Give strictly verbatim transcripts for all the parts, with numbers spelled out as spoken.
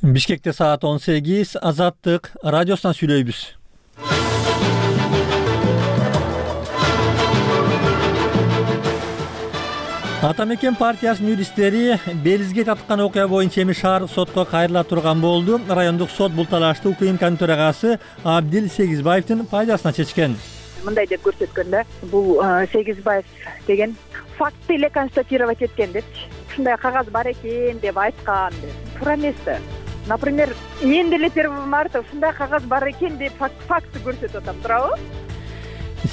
Бишкекте саат он сегиз. Азаттык радиосунан сүйлөйбүз. Ата мекен партиясынын юристтери Белизге таткан окуя боюнча эми шаардык сотко кайрыла турган болду. Райондук сот бул талашты УКМКнын төрагасы Абдил Сегизбаевдин пайдасына чечкен. Мындай деп көрсөткөндө, бул Сегизбаев деген факты эле констатировать эткен депчи. Ушундай кагаз бар экен деп айткан деп. Туура эмеспи? Например, мен деле первого марта ушундай кагаз бар экен деп факты көрсөтүп атам, туурабы?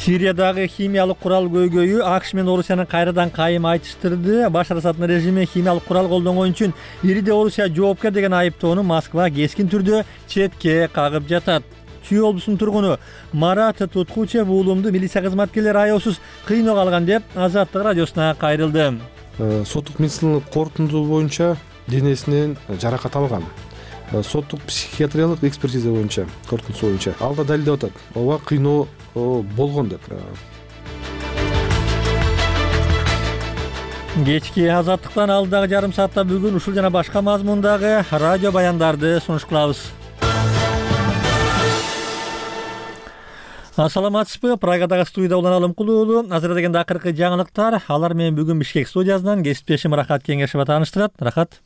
Сириядагы химиялык курал көйгөйү АКШ менен Орусияны кайрадан кайым айтыштырды. Башар Асаддын режими химиялык курал колдонгон үчүн Ириде Орусия жоопкер деген айыптоону Москва кескин түрдө четке кагып жатат. Чүй облусунун тургуну Марат Туткучев уулумду милиция кызматкерлери аеусуз кыйноого алган деп Азаттык радиосуна кайрылды. Соттук медициналык корутунду боюнча денесинен жаракат алган. Соттук психиатриялык экспертиза боюнча, корутундусу боюнча алда далилдеп атат. Ооба кыйноо болгон деп. Кечки Азаттыктан алдагы жарым саатта бүгүн ушул жана башка мазмундагы радио баяндарды сунуш кылабыз. Ассаламатсызбы? Прагадагы студияда Улан Алымкулуу уулу. Азыр дегенде акыркы жаңылыктар. Алар менен бүгүн Бишкек студиясынан кесиптешим Рахат Кеңешева тааныштырат. Рахат.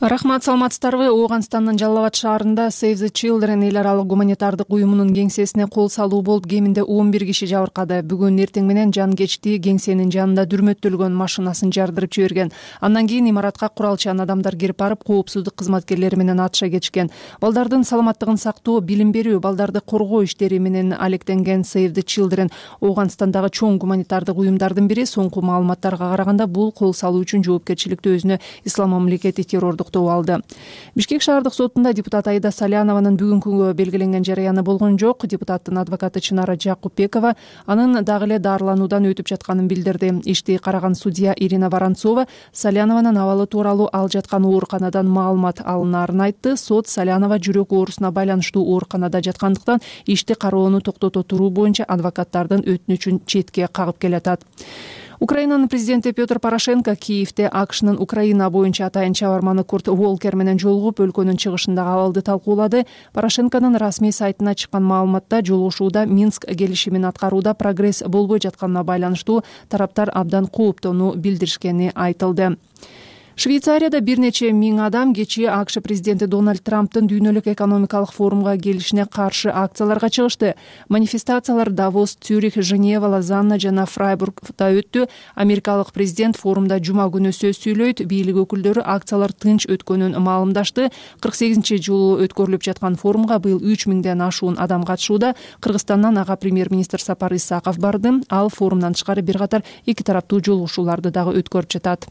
Рахмат, саламатсыздарбы? Ооганстандын Жалал Абад шаарында Save the Children эл аралык гуманитардык уюмунун кеңсесине кол салуу болуп, кеминде он бир киши жабыркады. Бүгүн эртең менен жан кечти кеңсенин жанында дүрмөттөлгөн машинасын жардырып жиберген. Андан кийин имаратка куралчан адамдар кирип барып, коопсуздук кызматкерлери менен атыша кетишкен. Балдардын саламаттыгын сактоо, билим берүү, балдарды коргоо иштери менен алектенген Save the Children Ооганстандагы чоң гуманитардык уюмдардын бири. Соңку маалыматтарга караганда, бул кол салуу үчүн жоопкерчиликти өзүнө Ислам мамлекети террордук алды. Бишкек шаардык сотунда депутат Аида Салянованын бүгүнкүгө белгиленген жарыяны болгон жок. Депутаттын адвокаты Чынара Жакупбекова анын дагы эле дарылануудан өтүп жатканын билдирди. Ишти караган судья Ирина Воронцова Салянованын абалы тууралуу ал жаткан ооруканадан маалымат алынаарын айтты. Сот Салянова жүрөк оорусуна байланыштуу ооруканада жаткандыктан ишти кароону токтото туруу боюнча адвокаттардын өтүнүчүн четке кагып келатат. Украинанын президенти Петр Порошенко Киевде АКШнын Украина боюнча атайын чабарманы Курт Волкер менен жолугуп, өлкөнүн чыгышындагы абалды талкуулады. Порошенконун расмий сайтына чыккан маалыматта жолугушууда Минск келишимин аткарууда прогресс болбой жатканына байланыштуу тараптар абдан кооптонуу билдиришкени айтылды. Швейцарияда бир нече миң адам кечээ АКШ президенти Дональд Трамптын дүйнөлүк экономикалык форумга келишине каршы акцияларга чыгышты. Манифестациялар Давос, Цюрих, Женева, Лозанна жана Фрайбургда өттү. Америкалык президент форумда жума күнү сөз сүйлөйт. Бийлик өкүлдөрү акциялар тынч өткөнүн маалымдашты. кырк сегизинчи жолу өткөрүлүп жаткан форумга быйыл үч миңден ашуун адам катышууда. Кыргызстандан ага премьер-министр Сапар Исаков барды. Ал форумдан тышкары бир катар эки тараптуу жолугушууларды дагы өткөрүп жатат.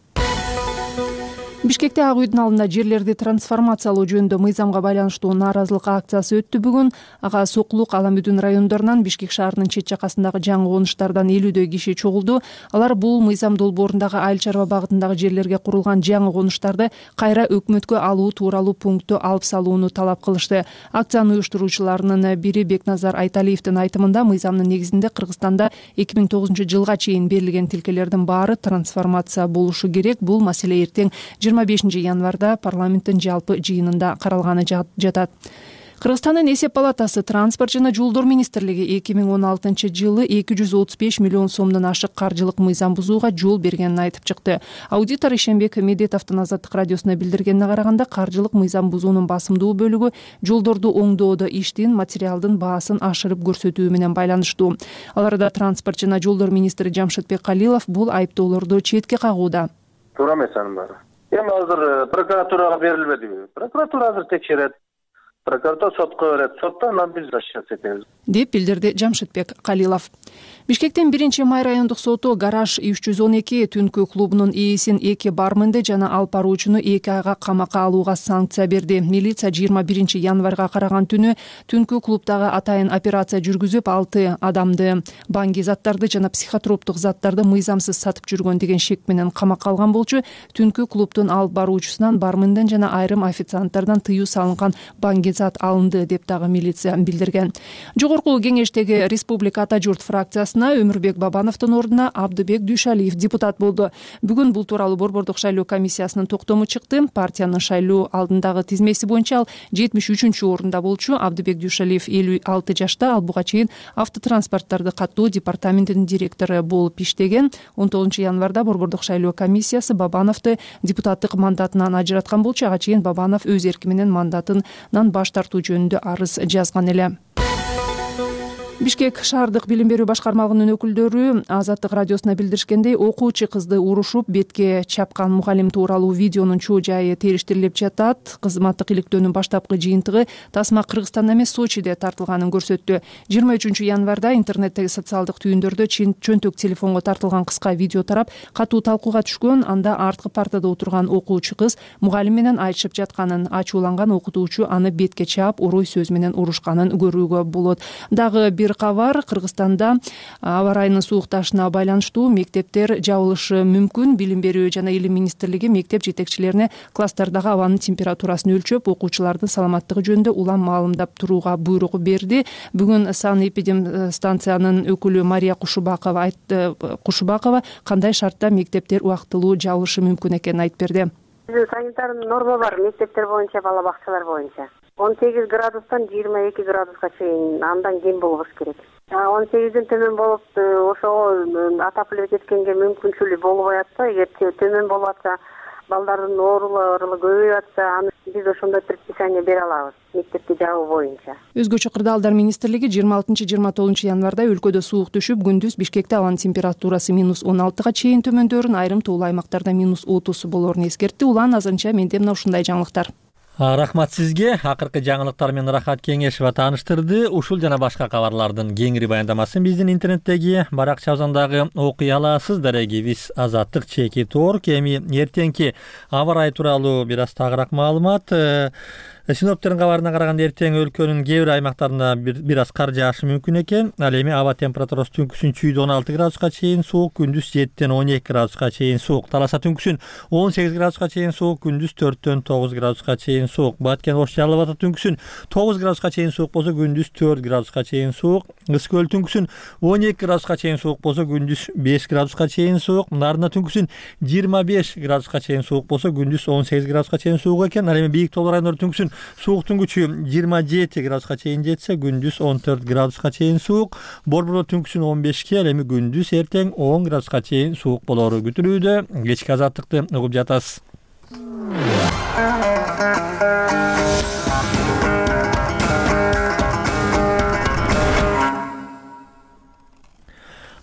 Бишкекте Ак үйдүн алдында жерлерди трансформациялоо жөнүндө мыйзамга байланыштуу нааразылык акциясы өттү бүгүн. Ага Сокулук, Аламүдүн райондорунан Бишкек шаарынын чет жакасындагы жаңы конуштардан элүүдөй киши чогулду. Алар бул мыйзам долбоорундагы айыл чарба багытындагы жерлерге курулган жаңы конуштарды кайра өкмөткө алуу тууралуу пунктту алып салууну талап кылышты. Акциянын уюштуруучуларынын бири Бекназар Айталиевдин айтымында, мыйзамдын негизинде Кыргызстанда эки миң тогузунчу жылга чейин берилген тилкелердин баары трансформация болушу керек. Бул маселе эртең жыйырма бешинчи январда парламенттин жалпы жыйынында каралганы жатат. Кыргызстандын эсеп палатасы транспорт жана жолдор министрлиги эки миң он алтынчы жылы эки жүз отуз беш миллион сомдон ашык каржылык мыйзам бузууга жол бергенин айтып чыкты. Аудитор Ишенбек Медетовдун Азаттык радиосуна билдиргенине караганда, каржылык мыйзам бузуунун басымдуу бөлүгү жолдорду оңдоодо иштин, материалдын баасын ашырып көрсөтүү менен байланыштуу. Аларда транспорт жана жолдор министри Жамшытбек Калилов бул айыптоолорду четке кагууда. Туура эмес анын баары. Эми азыр прокуратурага берилбедиби? Прокуратура азыр текшерет. Прокуратура сотко берет. Сотто анан биз сейчас этебиз, деп билдирди Жамшытбек Калилов. Бишкектин биринчи май райондук соту Гараж үч жүз он эки түнкү клубунун ээсин эки барменди жана алып баруучуну эки айга камакка алууга санкция берди. Милиция жыйырма биринчи январга караган түнү түнкү клубдагы атайын операция жүргүзүп, алты адамды банги заттарды жана психотроптук заттарды мыйзамсыз сатып жүргөн деген шек менен камакка алган болчу. Түнкү клубдун алып баруучусунан барменден жана айрым официанттардан тыюу салынган банги зат алынды деп дагы милиция билдирген. Жогорку кеңештеги Республика Ата журт фракциясына Өмүрбек Бабановдун ордуна Абдыбек Дүйшалиев депутат болду. Бүгүн бул тууралуу Борбордук шайлоо комиссиясынын токтому чыкты. Партиянын шайлоо алдындагы тизмеси боюнча ал жетимиш үчүнчү орунда болчу. Абдыбек Дүйшалиев элүү алты жашта, ал буга чейин автотранспорттарды каттоо департаментинин директору болуп иштеген. он тогузунчу январда Борбордук шайлоо комиссиясы Бабановду депутаттык мандатынан ажыраткан болчу. Ага чейин Бабанов өз эрки менен мандатынан баш тартуу жөнүндө арыз жазган эле. Бишкек шаардык билим берүү башкармалыгынын өкүлдөрү Азаттык радиосуна билдиришкендей, окуучу кызды урушуп бетке чапкан мугалим тууралуу видеонун чоо жайы териштирилип жатат. Кызматтык иликтөөнүн баштапкы жыйынтыгы тасма Кыргызстанда эмес, Сочиде тартылганын көрсөттү. жыйырма үчүнчү январда интернеттеги социалдык түйүндөрдө чөнтөк телефонго тартылган кыска видео тарап, катуу талкууга түшкөн. Анда арткы партада отурган окуучу кыз мугалим менен айтышып жатканын, ачууланган окутуучу аны бетке чаап, орой сөз менен урушканын көрүүгө болот. Дагы бир кабар: Кыргызстанда аба ырайынын суукташына байланыштуу мектептер жабылышы мүмкүн. Билим берүү жана илим министрлиги мектеп жетекчилерине класстардагы абанын температурасын өлчөп, окуучулардын саламаттыгы жөнүндө улам маалымдап турууга буйрук берди. Бүгүн санэпидемстанциянын өкүлү Мария Кушубакова айтты. Кушубакова кандай шартта мектептер убактылуу жабылышы мүмкүн экенин айтып берди. Биздин санитар норма бар мектептер боюнча, бала бакчалар боюнча. он сегиз градустан жыйырма эки градуска чейин, андан кем болбош керек. он сегизден төмөн болуп, ошого отопление эткенге мүмкүнчүлүгү болбой атса, эгер төмөн болуп атса, балдардын оорулары көбөйүп атса, аны биз ошондой предписание бере алабыз мектепти жабуу боюнча. Өзгөчө кырдаалдар министрлиги жыйырма алтынчы жыйырма тогузунчу январда өлкөдө суук түшүп, күндүз Бишкекте абанын температурасы минус он алтыга чейин төмөндөрүн, айрым тоолуу аймактарда минус отуз болоорун эскертти. Улан азырынча менде мына ушундай жаңылыктар. Рахмат сизге. Акыркы жаңылыктар менен Рахат Кеңешова тааныштырды. Ушул жана башка кабарлардын кеңири баяндамасын биздин интернеттеги баракчабыздан окуй аласыз. Дарегибиз Азаттык чекит орг. Эми эртеңки аба ырайы тууралуу бир аз тагыраак маалымат. Синоптиктердин кабарына караганда эртең өлкөнүн кээ бир аймактарында бир аз кар жаашы мүмкүн экен. Ал эми аба температурасы түнкүсүн чүйдө он алты градуска чейин суук, күндүз жеттен он эки градуска чейин суук. Таласа түнкүсүн он сегиз градуска чейин суук, күндүз төрттөн тогуз градуска чейин суук. Баткен Ош Жалал Абад түнкүсүн тогуз градуска чейин суук болсо, күндүз төрт градуска чейин суук. Ысык көл түнкүсүн он эки градуска чейин суук болсо, күндүз беш градуска чейин суук. Нарында түнкүсүн жыйырма беш градуска чейин суук болсо, күндүз он сегиз градуска чейин суук экен. Ал эми бийик тоолуу райондор түнкүсүн сууктун күчү жыйырма жети градуска чейин жетсе, күндүз он төрт градуска чейин суук. Борбордо түнкүсүн он бешке, ал эми күндүз эртең он градуска чейин суук болоору күтүлүүдө. Кечки азаттыкты угуп жатасыз.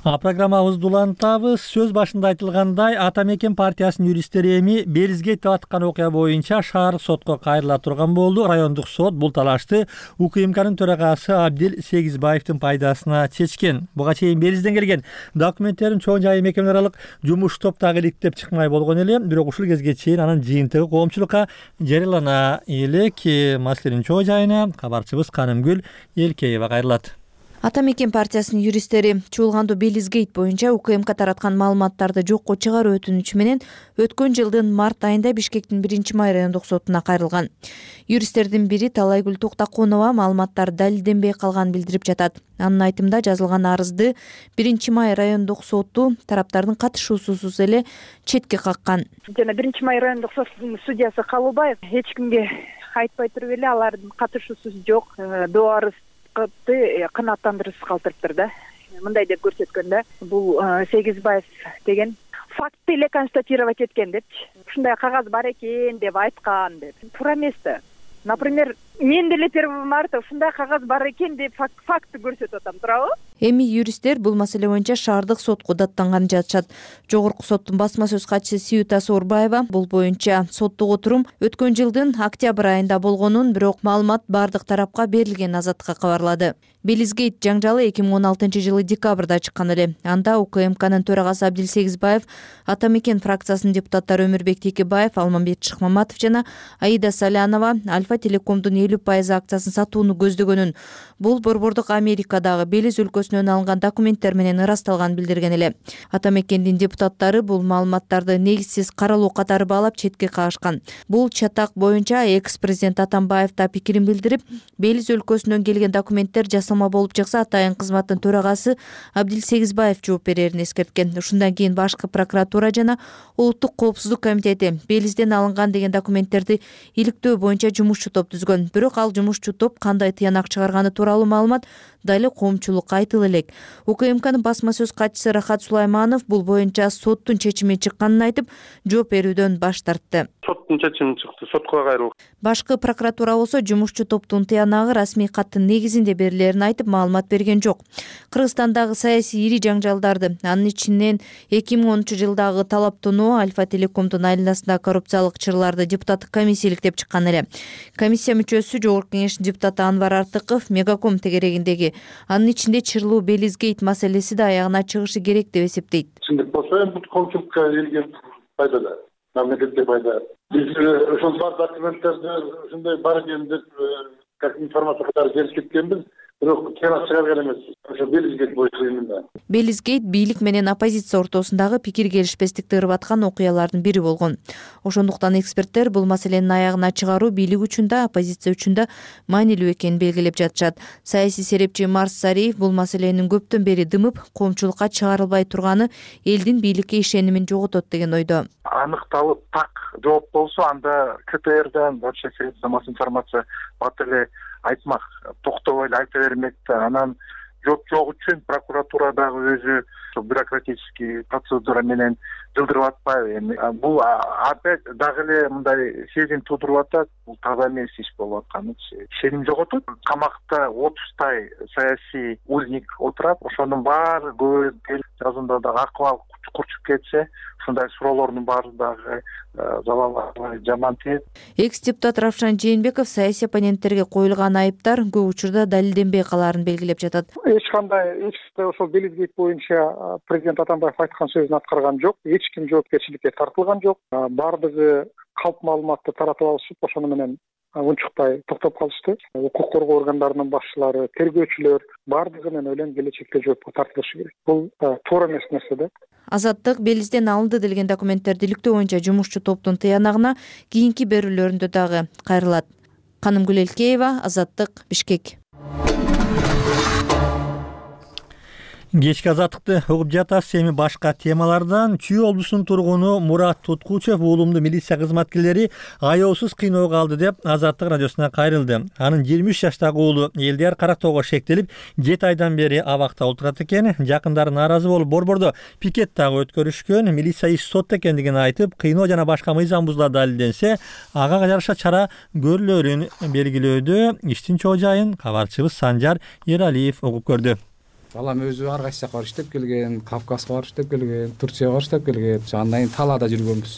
А программабызды улантабыз. Сөз башында айтылгандай, Ата Мекен партиясынын юристтери эми Белизгейт деп аткан окуя боюнча шаардык сотко кайрыла турган болду. Райондук сот бул талашты УКМКнын төрагасы Абдил Сегизбаевдин пайдасына чечкен. Буга чейин Белизден келген документтерин чоң жайы мекеме аралык жумуш топтагы иликтеп чыкмай болгон эле. Бирок ушул кезге чейин анын жыйынтыгы коомчулукка жарыялана элек. Маселенин чоң жайына кабарчыбыз Канымгүл Элкеева кайрылат. Ата Мекен партиясынын юристтери чуулгандуу Белизгейт боюнча УКМК тараткан маалыматтарды жокко чыгаруу өтүнүчү менен өткөн жылдын март айында Бишкектин биринчи май райондук сотуна кайрылган. Юристтердин бири Талайгүл Токтоконова маалыматтар далилденбей калганын билдирип жатат. Анын айтымында жазылган арызды биринчи май райондук соту тараптардын катышуусусуз эле четке каккан. Жана биринчи май райондук сотунун судьясы Калыбаев эч кимге айтпай туруп эле алардын катышуусу жок, доо арыз канааттандыруусуз калтырыптыр да. Мындай деп көрсөткөндө, бул Сегизбаев деген факт эле констатировать эткен депчи. Ушундай кагаз бар экен деп айткан деп. Туура эмес да. Например, мен деле первого марта ушундай кагаз бар экен деп факты көрсөтүп атам, туурабы? Эми юристтер бул маселе боюнча шаардык сотко даттанганын жатышат. Жогорку соттун басма сөз катчысы Сиюта Сорбаева бул боюнча соттук отурум өткөн жылдын октябрь айында болгонун, бирок маалымат бардык тарапка берилген Азаттыкка кабарлады. Белизгейт жаңжалы эки миң он алтынчы жылы декабрда чыккан эле. Анда УКМКнын төрагасы Абдил Сегизбаев, Ата Мекен фракциясынын депутаттары Өмүрбек Текебаев, Алмамбет Шыкмаматов жана Аида Салянова Альфа Телекомдун элүү пайыз акциясын сатууну көздөгөнүн, бул борбордук Америкадагы Белиз өлкөсүнүн өлкөсүнөн алынган документтер менен ырасталганын билдирген эле. Ата мекендин депутаттары бул маалыматтарды негизсиз каралуу катары баалап четке кагышкан. Бул чатак боюнча экс-президент Атамбаев да пикирин билдирип, Белиз өлкөсүнөн келген документтер жасалма болуп чыкса, атайын кызматтын төрагасы Абдил Сегизбаев жооп берерин эскерткен. Ушундан кийин башкы прокуратура жана Улуттук коопсуздук комитети Белизден алынган деген документтерди иликтөө боюнча жумушчу топ түзгөн. Бирок ал жумушчу топ кандай тыянак чыгарганы тууралуу маалымат дали коомчулукка айтыла элек. УКМКнын басма сөз катчысы Рахат Сулайманов бул боюнча соттун чечими чыкканын айтып, жооп берүүдөн баш тартты. Соттун чечими чыкты, сотко кайрылды. Башкы прокуратура болсо жумушчу топтун тыянагы расмий каттын негизинде берилерин айтып, маалымат берген жок. Кыргызстандагы саясий ири жаңжалдарды, анын ичинен эки миң онунчу жылдагы талаптонуу Альфа Телекомдун айланасындагы коррупциялык чырларды депутаттык комиссия иликтеп чыккан эле. Комиссия мүчөсү Жогорку Кеңештин депутаты Анвар Артыков Мегаком тегерегиндеги анын ичинде чырлуу Белизгейт маселеси да аягына чыгышы керек деп эсептейт. Чындык болсо эми бул коомчулукка келген пайда да, мамлекетке пайда. Биз ошол бар документтерди ушундай бар экен деп как информация катары келип кеткенбиз. Бирок тыянак чыгарган эмеспиз. Ошо Белизгейт боюнча именно. Белизгейт бийлик менен оппозиция ортосундагы пикир келишпестикти ырбаткан окуялардын бири болгон. Ошондуктан эксперттер бул маселенин аягына чыгаруу бийлик үчүн да, оппозиция үчүн да маанилүү экенин белгилеп жатышат. Саясий серепчи Марс Сариев бул маселенин көптөн бери дымып, коомчулукка чыгарылбай турганы элдин бийликке ишенимин жоготот деген ойдо. Аныкталып так жооп болсо, анда КТРдан вообще средства массовой информация бат эле айтмак, токтобой эле айта бермек да. Анан жооп жок үчүн прокуратура дагы өзү бюрократический процедура менен жылдырып атпайбы. Эми бул опять дагы эле мындай сезим туудуруп атат. Бул таза эмес иш болуп атканычы. Ишеним жоготот. Камакта отуздай саясий узник отурат. Ошонун баары көз жазында дагы акыбал курчуп кетсе, ушундай суроолордун баары дагы залалга жаман тийет. Экс-депутат Равшан Жээнбеков саясий оппоненттерге коюлган айыптар көп учурда далилденбей калаарын белгилеп жатат. Эч кандай эч ошол Белизгейт боюнча президент Атамбаев айткан сөзүн аткарган жок, эч ким жоопкерчиликке тартылган жок. Бардыгы калп маалыматты таратып алышып, ошону менен унчукпай токтоп калышты. Укук коргоо органдарынын башчылары, тергөөчүлөр бардыгы мен ойлойм келечекте жоопко тартылышы керек. Бул туура эмес нерсе да. Азаттык Белизден алынды делген документтерди иликтөө боюнча жумушчу топтун тыянагына кийинки берүүлөрүндө дагы кайрылат. Канымгүл Элкеева, Азаттык, Бишкек. Кечки азаттыкты угуп жатасыз. Эми башка темалардан Чүй облусунун тургуну Мурат Туткучев уулумду милиция кызматкерлери аяосуз кыйноого алды деп Азаттык радиосуна кайрылды. Анын жыйырма үч жаштагы уулу Элдияр Карактоого шектелип, жети айдан бери абакта отурат экен. Жакындары нааразы болуп, борбордо пикет дагы өткөрүшкөн. Милиция иш сотто экендигин айтып, кыйноо жана башка мыйзам бузуулар далилденсе, ага жараша чара көрүлөрүн белгилөөдө. Иштин чоо жайын кабарчыбыз Санжар Эралиев угуп көрдү. Балам өзү ар кайсы жака барып иштеп келген, Кавказга барып иштеп келген, Турцияга барып иштеп келген. Андан кийин талаада жүргөнбүз.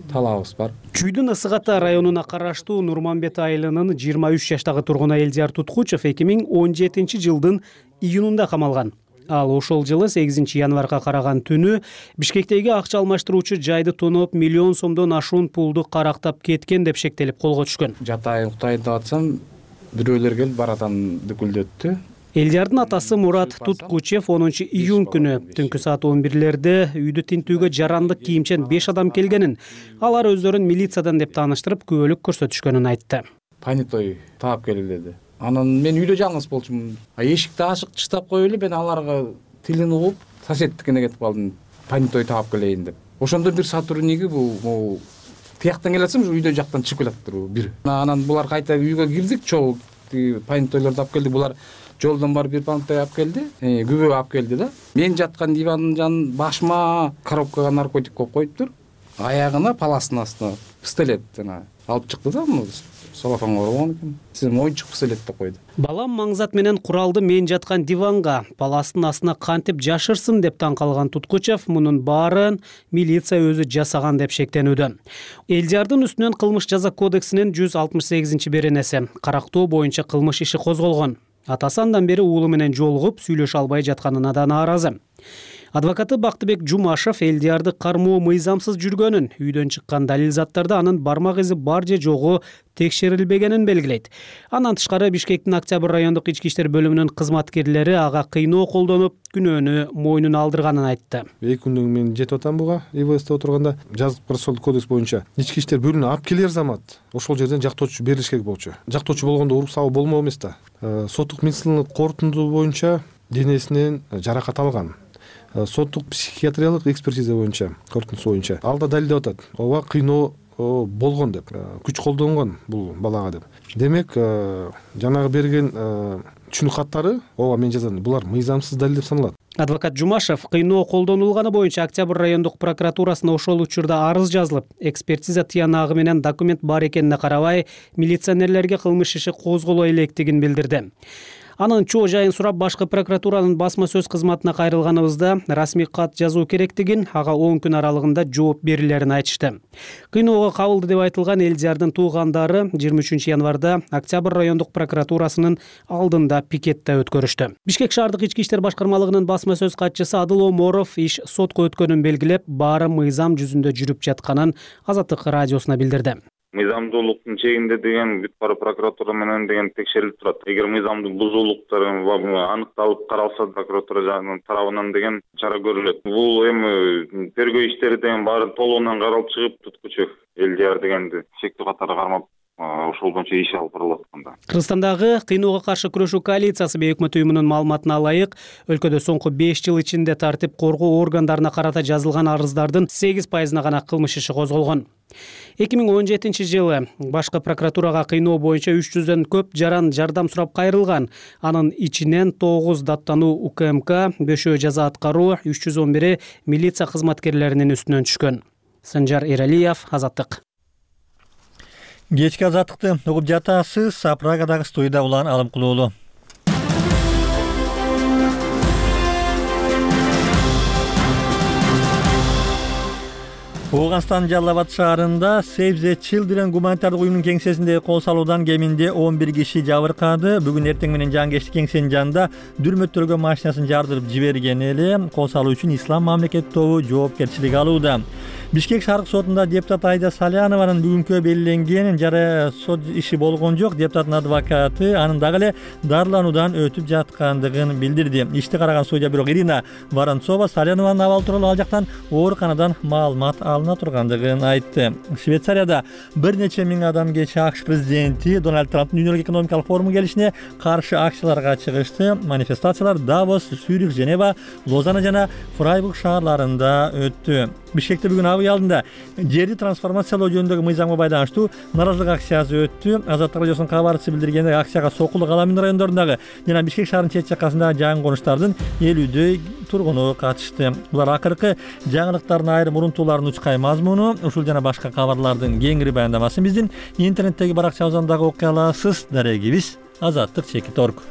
Талабыбыз бар. Чүйдүн Ысык Ата районуна караштуу Нурманбет айылынын жыйырма үч жаштагы тургуну Элдияр Туткучев эки миң он жетинчи жылдын июнунда камалган. Ал ошол жылы сегизинчи январга караган түнү Бишкектеги акча алмаштыруучу жайды тоноп, миллион сомдон ашуун пулду карактап кеткен деп шектелип колго түшкөн. Жатайын, уктайын деп атсам, бирөөлөр келип барадан дүкүлдөттү. Элдиярдын атасы Мурат Туткучев онунчу июнь күнү түнкү саат он бирлерде үйдү тинтүүгө жарандык кийимчен беш адам келгенин, алар өздөрүн милициядан деп тааныштырып, күбөлүк көрсөтүшкөнүн айтты. Панитой таап келди деди. Анан мен үйдө жалгыз болчумун. Эшикти ачык чыштап коюп эле мен аларга тилин угуп, соседтикине кетип калдым. Панитой таап келейин деп. Ошондо бир сотрудниги бул тияктан келатсам, үйдө жактан чыгып келатыптыр бир. Анан булар кайта үйгө кирдик, чогуу паниторлорду алып келдик. Булар жолдон барып бир панитой алып келди, күбө алып келди да. Мен жаткан дивандын жанын башыма коробкага наркотик коюп коюптур. Аягына паластын астына пистолет жана алып чыкты да, салафанга орогон экен. Сизин оюнчук пистолет деп койду. Балам маңзат менен куралды мен жаткан диванга, паластын астына кантип жашырсын деп таң калган Туткучев мунун баарын милиция өзү жасаган деп шектенүүдө. Элдиярдын үстүнөн кылмыш жаза кодексинин жүз алтымыш сегизинчи беренеси карактоо боюнча кылмыш иши козголгон. Атасы андан бери уулу менен жолугуп, сүйлөшө албай жатканына да нааразы. Адвокаты Бактыбек Жумашев элдиярды кармоо мыйзамсыз жүргөнүн, үйдөн чыккан далил заттарда анын бармак изи бар же жогу текшерилбегенин белгилейт. Андан тышкары Бишкектин Октябрь райондук ички иштер бөлүмүнүн кызматкерлери ага кыйноо колдонуп, күнөөнү мойнуна алдырганын айтты. Эки күндөн мен жетип атам буга ИВСте отурганда жазык процессуалдык кодекс боюнча ички иштер бөлүмүнө алып келер замат ошол жерден жактоочу берилиш керек болчу. Жактоочу болгондо уруп сабуу болмок эмес да. Соттук медициналык корутунду боюнча денесинен жаракат алган. Соттук психиатриялык экспертиза боюнча, корутундусу боюнча ал да далилдеп атат. Ооба кыйноо болгон деп, күч колдонгон бул балага деп. Демек, жанагы берген түшүнүк каттары, ооба мен жазам, булар мыйзамсыз далил деп саналат. Адвокат Жумашев кыйноо колдонулганы боюнча Октябрь райондук прокуратурасына ошол учурда арыз жазылып, экспертиза тыянагы менен документ бар экенине карабай, милиционерлерге кылмыш иши козголо электигин билдирди. Анын чоо жайын сурап, башкы прокуратуранын басма сөз кызматына кайрылганыбызда расмий кат жазуу керектигин, ага он күн аралыгында жооп берилерин айтышты. Кыйноого кабылды деп айтылган Элдиярдын туугандары жыйырма үчүнчү январда Октябрь райондук прокуратурасынын алдында пикетте өткөрүштү. Бишкек шаардык ички иштер башкармалыгынын басма сөз катчысы Адыл Оморов иш сотко өткөнүн белгилеп, баары мыйзам жүзүндө жүрүп жатканын Азаттык радиосуна билдирди. Мыйзамдуулуктун чегинде деген бүт бара прокуратура менен деген текшерилип турат. Эгер мыйзамдын бузуулуктары аныкталып каралса, прокуратура тарабынан деген чара көрүлөт. Бул эми тергөө иштери деген баары толугунан каралып чыгып, туткучу Элдияр дегенди шектүү катары кармап ошол боюнча иш алып барылып атканда. Кыргызстандагы кыйноого каршы күрөшүү коалициясы бейөкмөт уюмунун маалыматына ылайык, өлкөдө соңку беш жыл ичинде тартип коргоо органдарына карата жазылган арыздардын сегиз пайызына гана кылмыш иши козголгон. эки миң он жетинчи жылы башкы прокуратурага кыйноо боюнча үч жүздөн көп жаран жардам сурап кайрылган. Анын ичинен тогуз даттануу УКМК, бешөө жаза аткаруу, үч жүз он бири милиция кызматкерлеринин үстүнөн түшкөн. Санжар Эралиев, Азаттык. Кечки Азаттыкты угуп жатасыз. Прагадагы студияда Улан Алымкулуулу. Ооганстандын Жалал Абад шаарында Save the Children гуманитардык уюмунун кеңсесинде кол салуудан кеминде он бир киши жабыркады. Бүгүн эртең менен жангечтик кеңсенин жанында дүрмөттөргө машинасын жардырып жиберген эле. Кол салуу үчүн Ислам мамлекет тобу жоопкерчилик алууда. Бишкек шаардык сотунда депутат Айда Салянованын бүгүнкү белгиленген жара сот иши болгон жок. Депутаттын адвокаты анын дагы эле дарылануудан өтүп жаткандыгын билдирди. Ишти караган судья бирок Ирина Воронцова Салянованын абалы тууралуу ал жактан ооруканадан маалымат алына тургандыгын айтты. Швейцарияда бир нече миң адам кечээ АКШ президенти Дональд Трамптын дүйнөлүк экономикалык форуму келишине каршы акцияларга чыгышты. Манифестациялар Давос, Цюрих, Женева, Лозанна жана Фрайбург шаарларында өттү. Бишкекте бүгүн абый алдында жерди трансформациялоо жөнүндөгү мыйзамга байланыштуу нааразылык акциясы өттү. Азаттык радиосунун кабарчысы билдиргендей, акцияга Сокулук, Аламин райондорундагы жана Бишкек шаарынын чет жакасындагы жаңы конуштардын элүүдөй тургуну катышты. Булар акыркы жаңылыктардын айрым урунтууларын учкай мазмуну. Ушул жана башка кабарлардын кеңири баяндамасын биздин интернеттеги баракчабыздан дагы окуй аласыз. Дарегибиз азаттык чекит точка орг.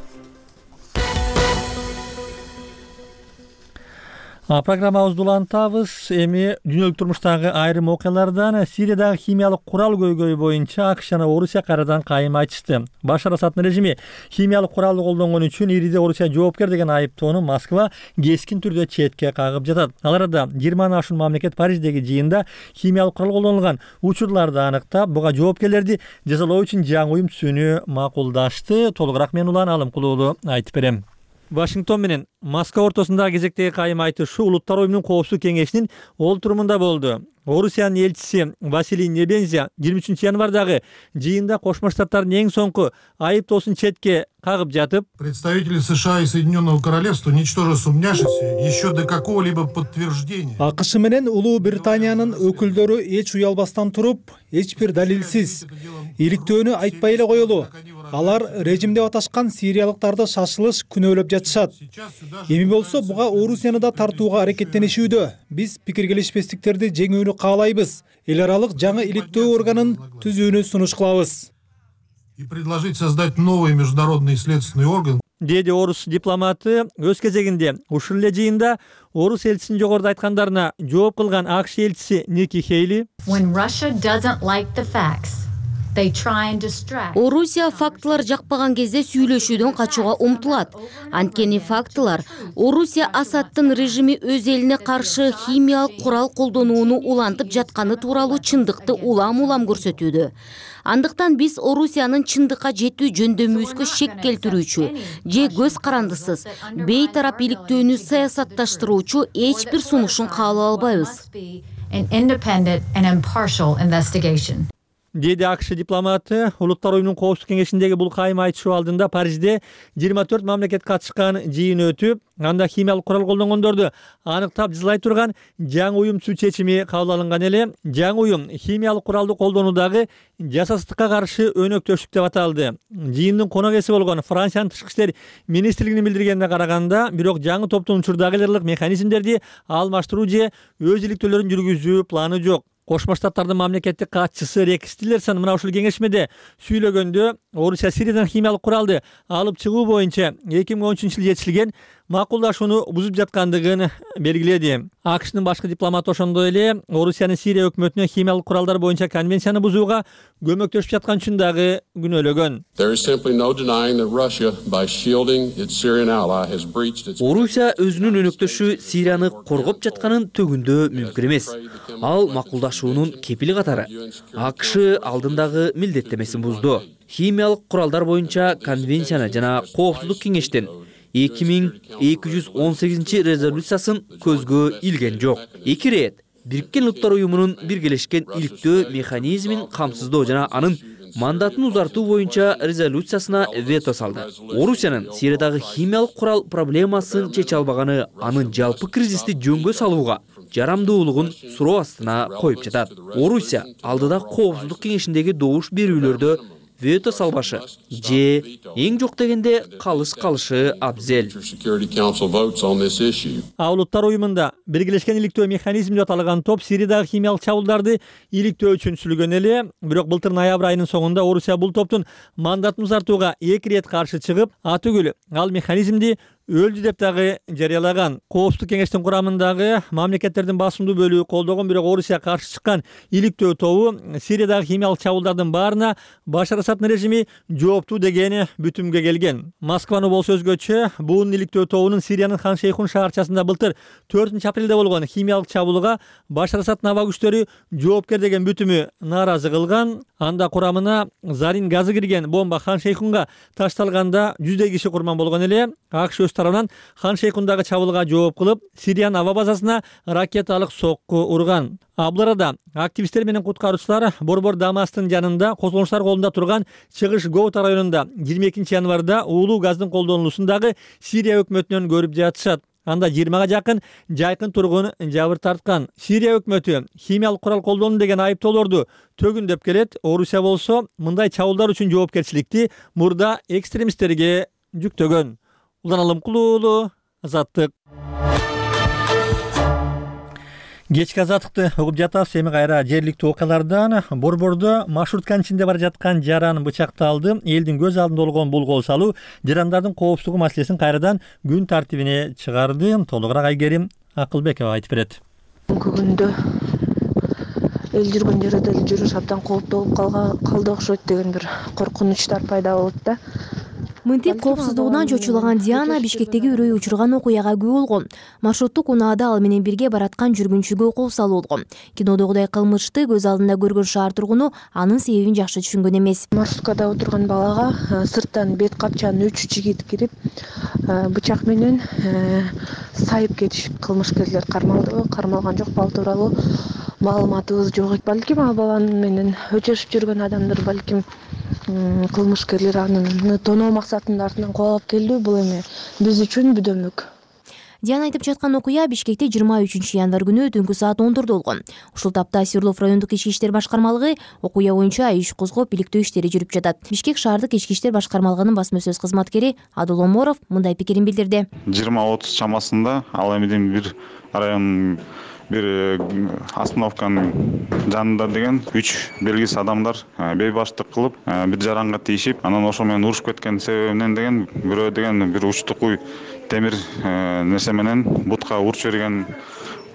Программабызды улантабыз. Эми дүйнөлүк турмуштагы айрым окуялардан Сириядагы химиялык курал көйгөйү боюнча АКШ жана Орусия кайрадан кайым айтышты. Башар Асаддын режими химиялык куралды колдонгон үчүн Ириде Орусия жоопкер деген айыптоону Москва кескин түрдө четке кагып жатат. Ал арада жыйырмадан ашуун мамлекет Париждеги жыйында химиялык курал колдонулган учурларды аныктап, буга жоопкерлерди жазалоо үчүн жаңы уюм түзүүнү макулдашты. Толугураак мен Улан Алымкулуулу айтып берем. Вашингтон менен Москва ортосундагы кезектеги кайым айтышы Улуттар уюмунун коопсуздук кеңешинин олтурумунда болду. Орусиянын элчиси Василий Небензя жыйырма үчүнчү январдагы жыйында Кошмо Штаттардын эң соңку айыптоосун четке кагып жатып, представители США и Соединенного Королевства, ничтоже сумняшися, еще до какого-либо подтверждения. АКШ менен Улуу Британиянын өкүлдөрү эч уялбастан туруп, эч бир далилсиз иликтөөнү айтпай эле коелу. Алар режим деп аташкан сириялыктарды шашылыш күнөөлөп жатышат. Эми болсо буга Орусияны да тартууга аракеттенишүүдө. Биз пикир келишпестиктерди жеңүүнү каалайбыз. Эл аралык жаңы иликтөө органын түзүүнү сунуш кылабыз. И предложить создать новый международный следственный орган. Деди орус дипломаты өз кезегинде ушул эле жыйында орус элчисинин жогоруда айткандарына жооп кылган АКШ элчиси Ники Хейли When Russia doesn't like the facts, Орусия фактылар жакпаган кезде сүйлөшүүдөн качууга умтулат. Анткени фактылар Орусия Асаддын режими өз элине каршы химиялык курал колдонууну улантып жатканы тууралуу чындыкты улам-улам көрсөтүүдө. Андыктан биз Орусиянын чындыкка жетүү жөндөмүбүзгө шек келтирүүчү же көз карандысыз, бейтарап иликтөөнү саясатташтыруучу эч бир сунушун кабыл албайбыз. Деди АКШ дипломаты. Улуттар уюмунун коопсуздук кеңешиндеги бул кайым айтышуу алдында Парижде жыйырма төрт мамлекет катышкан жыйын өтүп, анда химиялык курал колдонгондорду аныктап жазылай турган жаңы уюм түзүү чечими кабыл алынган эле. Жаңы уюм химиялык куралды колдонуудагы жасасыздыкка каршы өнөктөштүк деп аталды. Жыйындын конок ээси болгон Франциянын тышкы иштер министрлигинин билдиргенине караганда, бирок жаңы топтун учурдагы лидерлык механизмдерди алмаштыруу же өз иликтөөлөрүн жүргүзүү планы жок. Кошмо Штаттардын мамлекеттик катчысы Рекс Тиллерсон мына ушул кеңешмеде сүйлөгөндө Орусия Сириядан химиялык куралды алып чыгуу боюнча эки миң он үчүнчү жылы жетишилген макулдашууну бузуп жаткандыгын белгиледи. АКШнын башкы дипломаты ошондой эле Орусиянын Сирия өкмөтүнө химиялык куралдар боюнча конвенцияны бузууга көмөктөшүп жаткан үчүн дагы күнөөлөгөн. Орусия өзүнүн өнөктөшү Сирияны коргоп жатканын төгүндөө мүмкүн эмес. Ал макулдашуунун кепили катары АКШ алдындагы милдеттемесин бузду. Химиялык куралдар боюнча конвенцияны жана коопсуздук кеңештин эки миң эки жүз он сегизинчи резолюциясын көзгө илген жок. Эки рет Бириккен Улуттар уюмунун биргелешкен иликтөө механизмин камсыздоо жана анын мандатын узартуу боюнча резолюциясына вето салды. Орусиянын Сириядагы химиялык курал проблемасын чече албаганы анын жалпы кризисти жөнгө салууга жарамдуулугун суроо астына коюп жатат. Орусия алдыда коопсуздук кеңешиндеги добуш берүүлөрдө вето салбашы же эң жок дегенде калыш калышы абзел. А Улуттар уюмунда биргелешкен иликтөө механизми деп аталган топ Сириядагы химиялык чабуулдарды иликтөө үчүн сүйлөгөн эле. Бирок былтыр ноябрь айынын соңунда Орусия бул топтун мандатын узартууга эки ирет каршы чыгып, атүгүл ал механизмди өлдү деп дагы жарыялаган. Коопсуздук кеңештин курамындагы мамлекеттердин басымдуу бөлүгү колдогон, бирок Орусия каршы чыккан иликтөө тобу Сириядагы химиялык чабуулдардын баарына Башар Асаддын режими жооптуу деген бүтүмгө келген. Москваны болсо өзгөчө, бул иликтөө тобунун Сириянын Хан Шейхун шаарчасында былтыр төртүнчү апрелде болгон химиялык чабуулга Башар Асаддын аба күчтөрү жоопкер деген бүтүмү нааразы кылган. Анда курамына зарин газы кирген бомба Хан Шейхунга ташталганда жүздөй киши курман болгон эле. АКШ өз тарабынан Хан Шейхундагы чабуулга жооп кылып, Сириянын аба базасына ракеталык сокку урган. Абларада активисттер менен куткаруучулар Борбор Дамастын жанында козголуштар колунда турган Чыгыш Гоута районунда жыйырма экинчи январда уулуу газдын колдонулуусун дагы Сирия өкмөтүнөн көрүп жатышат. Анда жыйырмага жакын жайкын тургун жабыр тарткан. Сирия өкмөтү химиялык курал колдонду деген айыптоолорду төгүндөп келет. Орусия болсо мындай чабуулдар үчүн жоопкерчиликти мурда экстремисттерге жүктөгөн. Улан Алымкулуу, Азаттык. Кечки азаттыкты угуп жатабыз. Эми кайра жергиликтүү окуялардан. Борбордо маршрутканын ичинде бара жаткан жаран бычакталды. Элдин көз алдында болгон бул кол салуу жарандардын коопсуздугу маселесин кайрадан күн тартибине чыгарды. Толугураак Айгерим Акылбекова айтып берет. Бүгүнкү күндө эл жүргөн жерде эле жүрүш абдан кооптуу болуп калды окшойт деген бир коркунучтар пайда болот да. Мынтип коопсуздугунан чочулаган Диана Бишкектеги үрөй учурган окуяга күбө болгон. Маршруттук унаада ал менен бирге бараткан жүргүнчүгө кол салуу болгон. Кинодогудай кылмышты көз алдында көргөн шаар тургуну анын себебин жакшы түшүнгөн эмес. Маршруткада отурган балага сырттан бет капчан үч жигит кирип, бычак менен сайып кетишип, кылмышкерлер кармалдыбы, кармалган жокпу ал тууралуу маалыматыбыз жок. Балким ал баланы менен өчөшүп жүргөн адамдар балким кылмышкерлер аны тоноо максатында артынан кубалап келди. Бул эми биз үчүн бүдөмүк. Диана айтып жаткан окуя Бишкекте жыйырма үчүнчү январь күнү түнкү саат он төрттө болгон. Ушул тапта Свердлов райондук ички иштер башкармалыгы окуя боюнча иш козгоп иликтөө иштери жүрүп жатат. Бишкек шаардык ички иштер башкармалыгынын басма сөз кызматкери Адыл Оморов мындай пикирин билдирди. жыйырма отуз чамасында ал эмиден бир район бир остановканын жанында деген үч белгисиз адамдар бейбаштык кылып бир жаранга тийишип, анан ошо менен урушуп кеткен себебинен деген бирөө деген бир учтукуй темир нерсе менен бутка урчу берген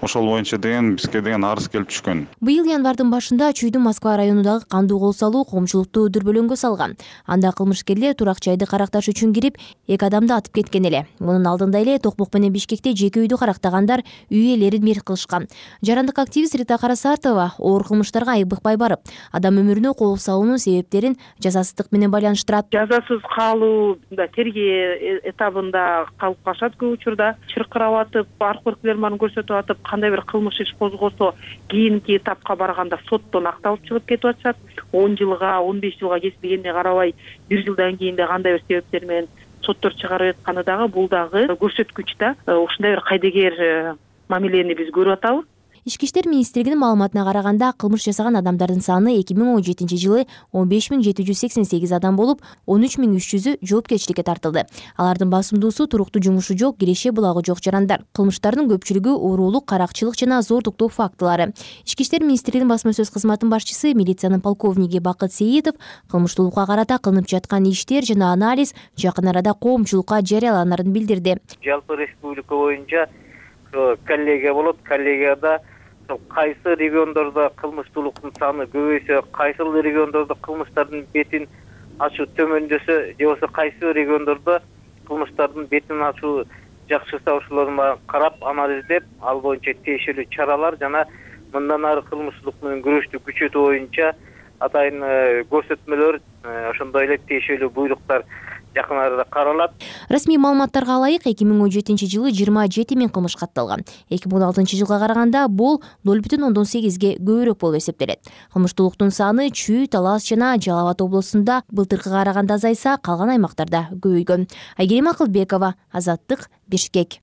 ошол боюнча деген бизге деген арыз келип түшкөн. Быйыл январдын башында Чүйдүн Москва районундагы кандуу кол салуу коомчулукту дүрбөлөңгө салган. Анда кылмышкерлер турак жайды каракташ үчүн кирип, эки адамды атып кеткен эле. Мунун алдында эле Токмок менен Бишкекте жеке үйдү карактагандар үй ээлерин мерт кылышкан. Жарандык активист Рита Карасартова оор кылмыштарга айбыкпай барып, адам өмүрүнө кол салуунун себептерин жазасыздык менен байланыштырат. Жазасыз калуу тергөө этабында калып калышат көп учурда. Чыркырап атып, аркылыкларын көрсөтүп атып, кандай бир кылмыш иш козгосо, кийинки этапка барганда соттон акталып чыгып кетип атышат. он жылга, он беш жылга кесилгенине карабай, бир жылдан кийин да кандай бир себептер менен соттор чыгарып атканы дагы бул дагы көрсөткүч да. Ушундай бир кайдыгер мамилени биз көрүп атабыз. Ички иштер министрлигинин маалыматына караганда, кылмыш жасаган адамдардын саны эки миң он жетинчи жылы он беш миң жети жүз сексен сегиз адам болуп, он үч миң үч жүзү жоопкерчиликке тартылды. Алардын басымдуусу туруктуу жумушу жок, киреше булагы жок жарандар. Кылмыштардын көпчүлүгү уурулук, каракчылык жана зордуктоо фактылары. Ички иштер министрлигинин басма сөз кызматынын башчысы, милициянын полковниги Бакыт Сейитов кылмыштуулукка карата кылынып жаткан иштер жана анализ жакын арада коомчулукка жарыяланарын билдирди. Жалпы республика боюнча коллегия болот, коллегияда кайсы региондордо кылмыштуулуктун саны көбөйсө, кайсы региондордо кылмыштардын бетин ачуу төмөндөсө, же болбосо кайсы региондордо кылмыштардын бетин ачуу жакшырса, ошолорду карап, анализдеп, ал боюнча тиешелүү чаралар жана мындан ары кылмыштуулук менен күрөштү күчөтүү боюнча атайын көрсөтмөлөр, ошондой эле тиешелүү буйруктар жакын арада каралат. Расмий маалыматтарга алайык, эки миң он жетинчи жылы жыйырма жети миң кылмыш катталган. эки миң он алтынчы жылга караганда бул ноль бүтүн ондон сегизге көбүрөөк болуп эсептелет. Кылмыштуулуктун саны Чүй, Талас жана Жалал Абад облустунда былтыркыга караганда азайса, калган аймактарда көбөйгөн. Айгерим Акылбекова, Азаттык, Бишкек.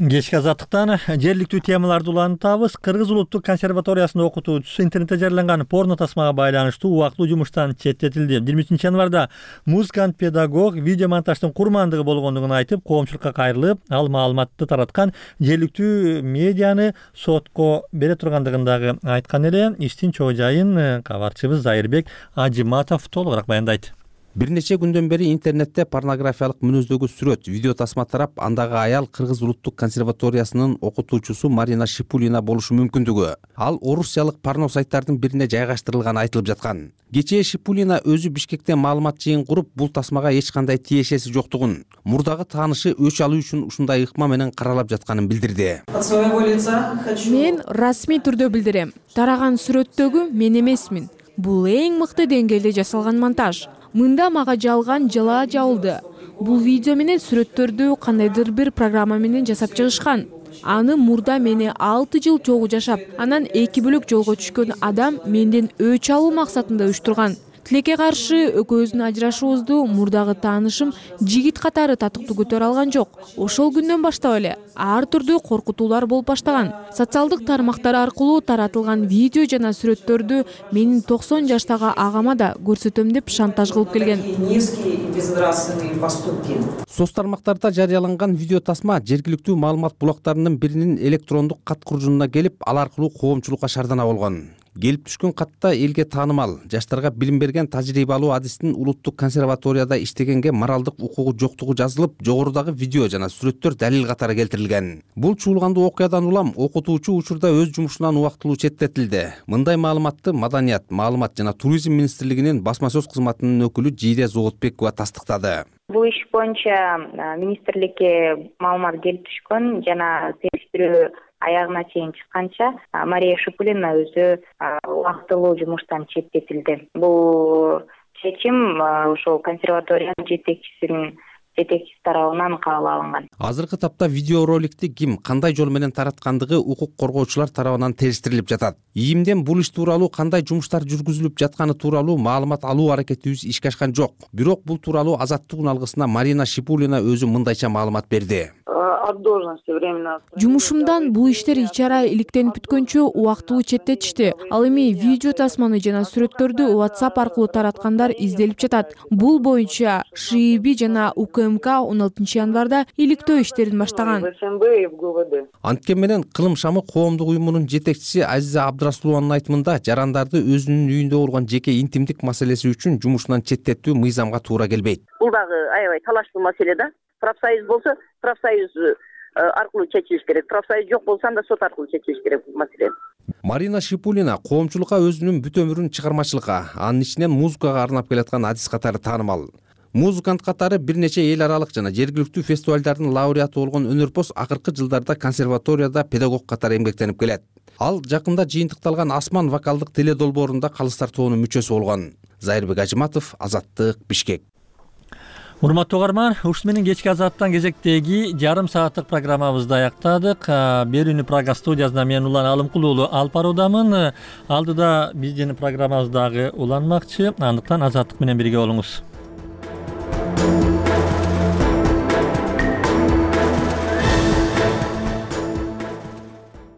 Кечки Азаттыктан жергиликтүү темаларды улантабыз. Кыргыз улуттук консерваториясынын окутуучусу интернетте жарыяланган порно тасмага байланыштуу убактылуу жумуштан четтетилди. жыйырма үчүнчү январда музыкант педагог видео монтаждын курмандыгы болгондугун айтып, коомчулукка кайрылып, ал маалыматты тараткан жергиликтүү медианы сотко бере тургандыгын дагы айткан эле. Иштин чоо жайын кабарчыбыз Зайырбек Ажиматов толугураак баяндайт. Бир нече күндөн бери интернетте порнографиялык мүнөздөгү сүрөт, видео тасма тарап, андагы аял Кыргыз улуттук консерваториясынын окутуучусу Марина Шипулина болушу мүмкүндүгү. Ал орусиялык порно сайттардын бирине жайгаштырылганы айтылып жаткан. Кечээ Шипулина өзү Бишкекте маалымат жыйын куруп, бул тасмага эч кандай тиешеси жоктугун, мурдагы таанышы өч алуу үчүн ушундай ыкма менен каралап жатканын билдирди. Мен расмий түрдө билдирем. Тараган сүрөттөгү мен эмесмин. Бул эң мыкты деңгээлде жасалган монтаж. Мында мага жалган жала жабылды. Бул видео менен сүрөттөрдү кандайдыр бир программа менен жасап чыгышкан. Аны мурда мени алты жыл жолу жашап, анан эки бөлөк жолго түшкөн адам менден өч алуу максатында уюштурган. Тилекке каршы экөөбүздүн ажырашуубузду мурдагы таанышым жигит катары татыктуу көтөрө алган жок. Ошол күндөн баштап эле ар түрдүү коркутуулар болуп баштаган. Социалдык тармактар аркылуу таратылган видео жана сүрөттөрдү менин токсон жаштагы агама да көрсөтөм деп шантаж кылып келген. Соц тармактарда жарыяланган видео тасма жергиликтүү маалымат булактарынын биринин электрондук кат куржунуна келип, ал аркылуу коомчулукка шардана болгон. Келип түшкөн катта элге таанымал, жаштарга билим берген тажрыйба алуу адистин улуттук консерваторияда иштегенге моралдык укугу жоктугу жазылып, жогорудагы видео жана сүрөттөр далил катары келтирилген. Бул чуулгандуу окуядан улам окутуучу учурда өз жумушунан убактылуу четтетилди. Мындай маалыматты Маданият, маалымат жана туризм министрлигинин басма сөз кызматынын өкүлү Жийде Зоотбекова тастыктады. Бул иш боюнча министрликке маалымат келип түшкөн жана териштирүү аягына чейин чыкканча Мария Шипулина өзү убактылуу жумуштан четтетилди. Бул чечим ошол консерваториянын жетекчисинин жетекчиси тарабынан кабыл алынган. Азыркы тапта видеороликти ким, кандай жол менен тараткандыгы укук коргоочулар тарабынан териштирилип жатат. ИИМден бул иш тууралуу кандай жумуштар жүргүзүлүп жатканы тууралуу маалымат алуу аракетибиз ишке ашкан жок. Бирок бул тууралуу Азаттык уналгысына Марина Шипулина өзү мындайча маалымат берди. Жумушумдан бул иштер ичара иликтенип бүткөнчө убактылуу четтетишти. Ал эми видео тасманы жана сүрөттөрдү WhatsApp аркылуу тараткандар изделип жатат. Бул боюнча ШИИБ жана УК УКМК он алтынчы январда иликтөө иштерин баштаган. Анткени менен Кылым шамы коомдук уюмунун жетекчиси Азиза Абдрасулованын айтымында жарандарды өзүнүн үйүндө болгон жеке интимдик маселеси үчүн жумушунан четтетүү мыйзамга туура келбейт. Бул дагы аябай талаштуу маселе да. Профсоюз болсо, профсоюз аркылуу чечилиш керек. Профсоюз жок болсо анда сот аркылуу чечилиш керек бул маселе. Марина Шипулина коомчулукка өзүнүн бүт өмүрүн чыгармачылыкка, анын ичинен музыкага арнап келаткан артист катары таанымал. Музыкант катары бир нече эл аралык жана жергиликтүү фестивалдардын лауреаты болгон өнөрпоз акыркы жылдарда консерваторияда педагог катары эмгектенип келет. Ал жакында жыйынтыкталган Асман вокалдык теле долбоорунда калыстар тобунун мүчөсү болгон. Зайырбек Ажыматов, Азаттык, Бишкек. Урматтуу угарман, ушун менен кечки Азаттан кезектеги жарым сааттык программабызды аяктадык. Берүүнү Прага студиясында мен Улан Алымкул уулу алып баруудамын. Алдыда биздин программабыз дагы уланмакчы. Андыктан Азаттык менен бирге болуңуз.